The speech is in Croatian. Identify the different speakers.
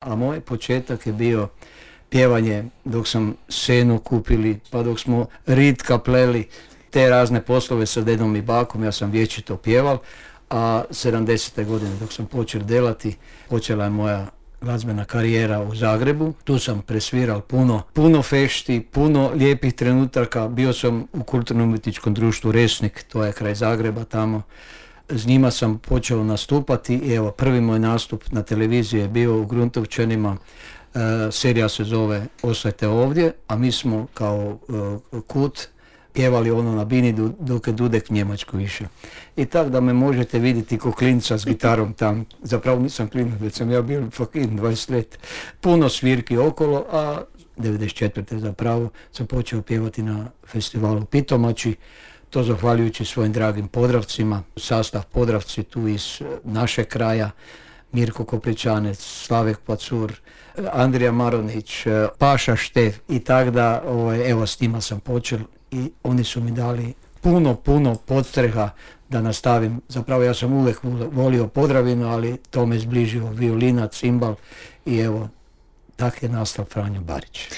Speaker 1: A moj početak je bio pjevanje dok sam senu kupili, pa dok smo ritka pleli, te razne poslove sa dedom i bakom, ja sam vječito pjeval, a 70. godine dok sam počeo delati, počela je moja glazbena karijera u Zagrebu. Tu sam presviral puno fešti, puno lijepih trenutaka. Bio sam u kulturno-umjetničkom društvu Resnik, to je kraj Zagreba tamo. S njima sam počeo nastupati i evo, prvi moj nastup na televiziji je bio u Gruntovčanima. Serija se zove Ostajte ovdje, a mi smo kao Kut pjevali ono na bini dok je Dudek Njemačku išao. I tako da me možete vidjeti ko klinca s gitarom tam. Zapravo nisam klinac, već sam ja bio fakin 20 let. Puno svirki okolo, a 94. zapravo sam počeo pjevati na festivalu Pitomači. To zahvaljujući svojim dragim Podravcima, sastav Podravci tu iz našeg kraja, Mirko Kopričanec, Slavek Pacur, Andrija Maronić, Paša Štef i tako da, evo s njima sam počeo i oni su mi dali puno podstreha da nastavim. Zapravo ja sam uvijek volio Podravinu, ali to me zbližio violina, cimbal i evo, tako je nastao Franjo Barić.